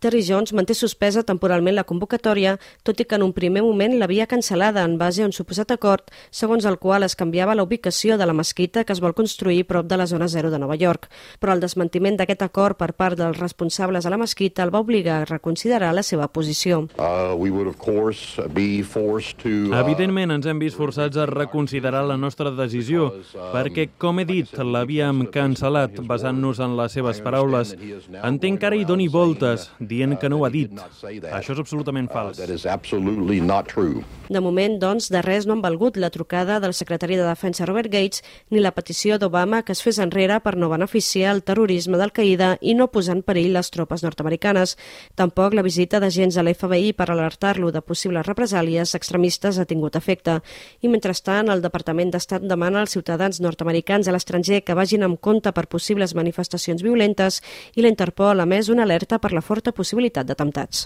Terry Jones manté suspesa temporalment la convocatòria, tot i que en un primer moment l'havia cancel·lada en base a un suposat acord, segons el qual es canviava la ubicació de la mesquita que es vol construir prop de la zona zero de Nova York. Però el desmentiment d'aquest acord per part dels responsables a la mesquita el va obligar a reconsiderar la seva posició. Evidentment ens hem vist forçats a reconsiderar la nostra decisió, perquè, com he dit, l'havíem cancel·lat basant-nos en les seves paraules. Entenc que ara hi doni voltes, dient que no ho ha dit. Això és absolutament fals. De moment, doncs, de res no han valgut la trucada del secretari de Defensa Robert Gates ni la petició d'Obama que es fes enrere per no beneficiar el terrorisme d'Al-Qaida i no posar en perill les tropes nord-americanes. Tampoc la visita d'agents a l'FBI per alertar-lo de possibles represàlies extremistes ha tingut efecte. I mentrestant, el Departament d'Estat demana als ciutadans nord-americans a l'estranger que vagin amb compte per possibles manifestacions violentes i la Interpol ha emès una alerta per la forta possibilitat d'atemptats.